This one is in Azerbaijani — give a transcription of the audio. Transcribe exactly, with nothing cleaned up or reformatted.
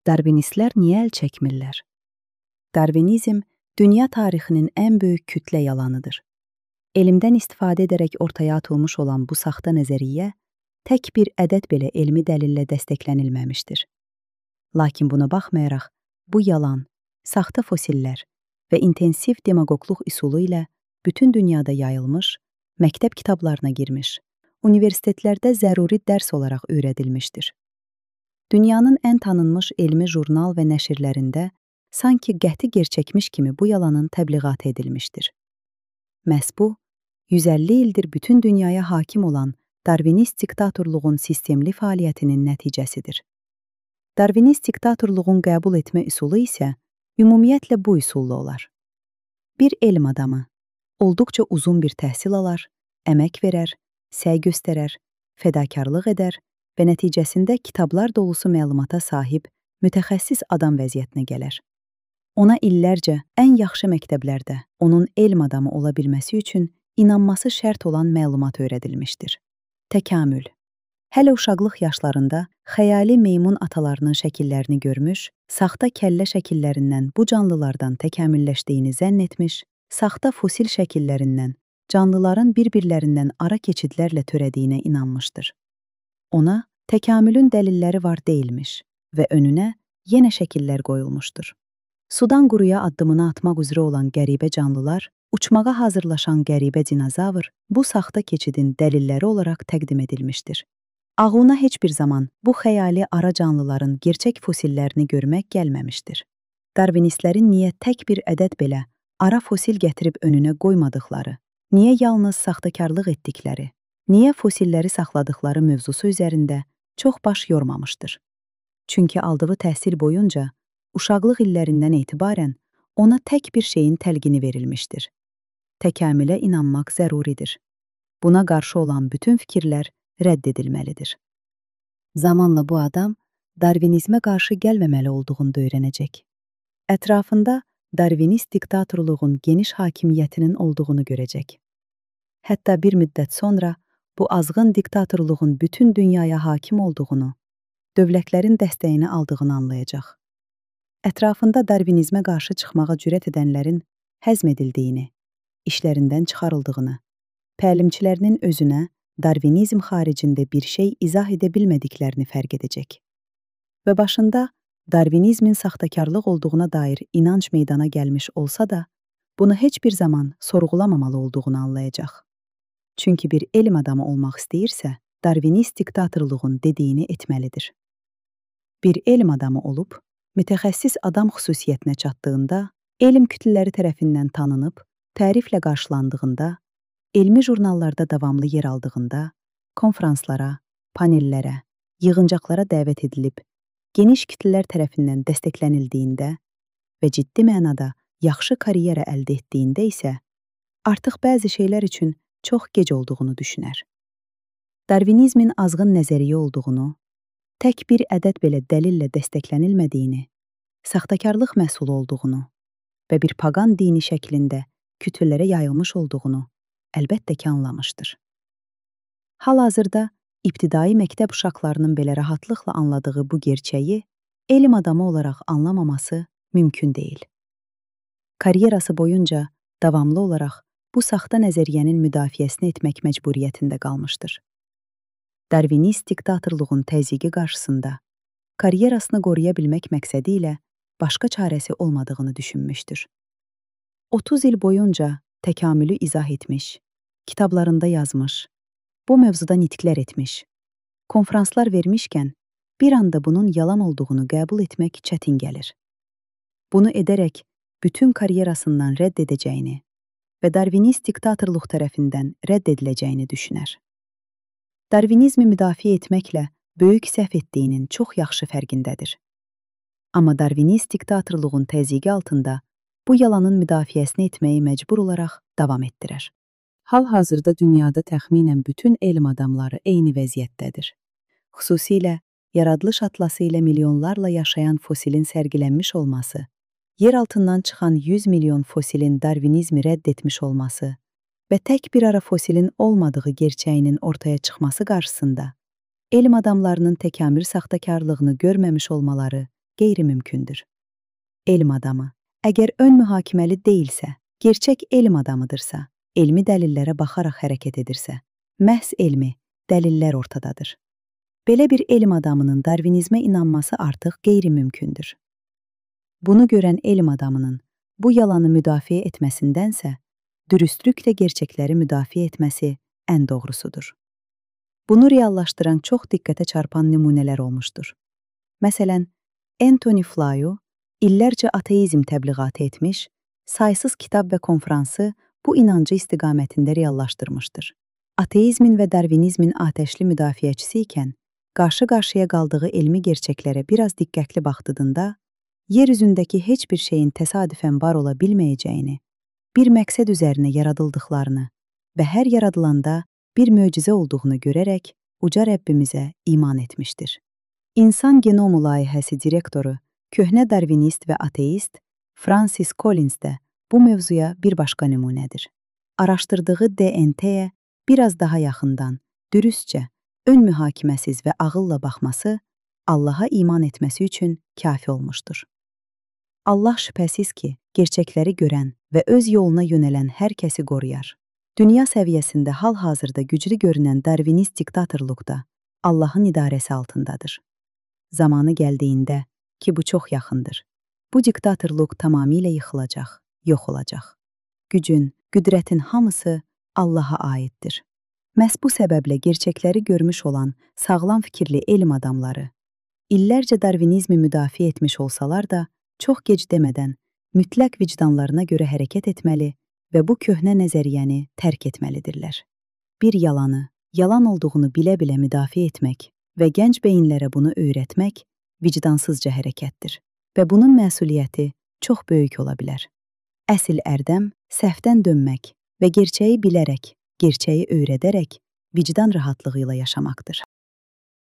Darvinistlər niyə əl çəkmirlər? Darvinizm dünya tarixinin ən böyük kütlə yalanıdır. Elmdən istifadə edərək ortaya atılmış olan bu saxta nəzəriyyə tək bir ədəd belə elmi dəlillə dəstəklənilməmişdir. Lakin buna baxmayaraq, bu yalan, saxta fosillər və intensiv demagogluq üsulu ilə bütün dünyada yayılmış, məktəb kitablarına girmiş, universitetlərdə zəruri dərs olaraq öyrədilmişdir. Dünyanın ən tanınmış elmi jurnal və nəşrlərində sanki qəti gerçəkmiş kimi bu yalanın təbliğatı edilmişdir. Məhz bu, yüz əlli ildir bütün dünyaya hakim olan Darvinist diktatorluğun sistemli fəaliyyətinin nəticəsidir. Darvinist diktatorluğun qəbul etmə üsulu isə ümumiyyətlə bu üsulla olar. Bir elm adamı olduqca uzun bir təhsil alar, əmək verər, səy göstərər, fədakarlıq edər və nəticəsində kitablar dolusu məlumata sahib mütəxəssis adam vəziyyətinə gələr. Ona illərcə ən yaxşı məktəblərdə onun elm adamı ola bilməsi üçün inanması şərt olan məlumat öyrədilmişdir. Təkamül. Hələ uşaqlıq yaşlarında xəyali meymun atalarının şəkillərini görmüş, saxta kəllə şəkillərindən bu canlılardan təkamülləşdiyini zənn etmiş, saxta fosil şəkillərindən canlıların bir-birlərindən ara keçidlərlə törədiyinə inanmışdır. Ona təkamülün dəlilləri var deyilmiş və önünə yenə şəkillər qoyulmuşdur. Sudan quruya addımını atmaq üzrə olan qəribə canlılar, uçmağa hazırlaşan qəribə dinozavr bu saxta keçidin dəlilləri olaraq təqdim edilmişdir. Ağlına heç bir zaman bu xəyali ara canlıların gerçək fosillərini görmək gəlməmişdir. Darvinistlərin niyə tək bir ədəd belə ara fosil gətirib önünə qoymadıqları, niyə yalnız saxtakarlıq etdikləri, niyə fosilləri saxladıqları mövzusu üzərində çox baş yormamışdır. Çünki aldığı təhsil boyunca uşaqlıq illərindən etibarən ona tək bir şeyin təlqini verilmişdir. Təkamülə inanmaq zəruridir. Buna qarşı olan bütün fikirlər rədd edilməlidir. Zamanla bu adam Darvinizmə qarşı gəlməməli olduğunu da öyrənəcək. Ətrafında Darvinist diktatorluğun geniş hakimiyyətinin olduğunu görəcək. Hətta bir müddət sonra bu azğın diktatorluğun bütün dünyaya hakim olduğunu, dövlətlərin dəstəyini aldığını anlayacaq. Ətrafında Darvinizmə qarşı çıxmağa cürət edənlərin həzm edildiyini, işlərindən çıxarıldığını, təlimçilərinin özünə Darvinizm xaricində bir şey izah edə bilmədiklərini fərq edəcək. Və başında Darvinizmin saxtakarlıq olduğuna dair inanc meydana gəlmiş olsa da, bunu heç bir zaman sorğulamamalı olduğunu anlayacaq. Çünki bir elm adamı olmaq istəyirsə, Darvinist diktatorluğun dediyini etməlidir. Bir elm adamı olub, mütəxəssis adam xüsusiyyətinə çatdığında, elm kütlələri tərəfindən tanınıb, təriflə qarşılandığında, elmi jurnallarda davamlı yer aldığında, konferanslara, panellərə, yığıncaqlara dəvət edilib, geniş kütlələr tərəfindən dəstəklənildiyində və ciddi mənada yaxşı karyera əldə etdiyində isə, artıq bəzi şeylər üçün çox gec olduğunu düşünər. Darvinizmin azğın nəzəriyyə olduğunu, tək bir ədəd belə dəlillə dəstəklənilmədiyini, saxtakarlıq məhsulu olduğunu və bir paqan dini şəklində kütlələrə yayılmış olduğunu əlbəttə ki anlamışdır. Hal-hazırda ibtidai məktəb uşaqlarının belə rahatlıqla anladığı bu gerçəyi elm adamı olaraq anlamaması mümkün deyil. Karyerası boyunca davamlı olaraq bu saxta nəzəriyyənin müdafiəsini etmək məcburiyyətində qalmışdır. Darvinist diktatorluğun təzyiqi qarşısında karyerasını qoruya bilmək məqsədi ilə başqa çarəsi olmadığını düşünmüşdür. otuz il boyunca təkamülü izah etmiş, kitablarında yazmış, bu mövzuda nitqlər etmiş, konferanslar vermişkən bir anda bunun yalan olduğunu qəbul etmək çətin gəlir. Bunu edərək bütün karyerasından rədd edəcəyini və Darvinist diktatorluq tərəfindən rədd ediləcəyini düşünər. Darvinizmi müdafiə etməklə böyük səhv etdiyinin çox yaxşı fərqindədir. Amma Darvinist diktatorluğun təzyiqi altında bu yalanın müdafiəsini etməyi məcbur olaraq davam etdirər. Hal-hazırda dünyada təxminən bütün elm adamları eyni vəziyyətdədir. Xüsusilə yaradılış atlası ilə milyonlarla yaşayan fosilin sərgilənmiş olması, yer altından çıxan yüz milyon fosilin Darvinizmi rədd etmiş olması və tək bir ara fosilin olmadığı gerçəyinin ortaya çıxması qarşısında elm adamlarının təkamül saxtakarlığını görməmiş olmaları qeyri-mümkündür. Elm adamı, əgər ön mühakiməli deyilsə, gerçək elm adamıdırsa, elmi dəlillərə baxaraq hərəkət edirsə, məhz elmi, dəlillər ortadadır. Belə bir elm adamının darvinizmə inanması artıq qeyri-mümkündür. Bunu görən elm adamının bu yalanı müdafiə etməsindənsə, dürüstlüklə gerçəkləri müdafiə etməsi ən doğrusudur. Bunu reallaşdıran çox diqqətə çarpan nümunələr olmuşdur. Məsələn, Anthony Flew illərcə ateizm təbliğatı etmiş, saysız kitab və konfransı bu inancı istiqamətində reallaşdırmışdır. Ateizmin və darvinizmin atəşli müdafiəçisi ikən, qarşı-qarşıya qaldığı elmi gerçəklərə biraz diqqətli baxdığında, yer üzündəki heç bir şeyin təsadüfən var ola bilməyəcəyini, bir məqsəd üzərinə yaradıldıqlarını və hər yaradılanda bir möcüzə olduğunu görərək uca Rəbbimizə iman etmişdir. İnsan Genomu layihəsi direktoru, köhnə darvinist və ateist Francis Collins də bu mövzuya bir başqa nümunədir. Araşdırdığı D N T-yə biraz daha yaxından, dürüstcə, ön mühakiməsiz və ağılla baxması Allaha iman etməsi üçün kafi olmuşdur. Allah şübhəsiz ki, gerçəkləri görən və öz yoluna yönələn hər kəsi qoruyar. Dünya səviyyəsində hal-hazırda güclü görünən darvinist diktatorluqda Allahın idarəsi altındadır. Zamanı gəldiyində ki, bu çox yaxındır, bu diktatorluq tamamilə yıxılacaq, yox olacaq. Gücün, qüdrətin hamısı Allaha aiddir. Məhz bu səbəblə gerçəkləri görmüş olan sağlam fikirli elm adamları, illərcə darvinizmi müdafiə etmiş olsalar da, çox gec demədən mütləq vicdanlarına görə hərəkət etməli və bu köhnə nəzəriyyəni tərk etməlidirlər. Bir yalanı, yalan olduğunu bilə-bilə müdafiə etmək və gənc beyinlərə bunu öyrətmək vicdansızca hərəkətdir və bunun məsuliyyəti çox böyük ola bilər. Əsl ərdəm səhvdən dönmək və gerçəyi bilərək, gerçəyi öyrədərək vicdan rahatlığı ilə yaşamaqdır.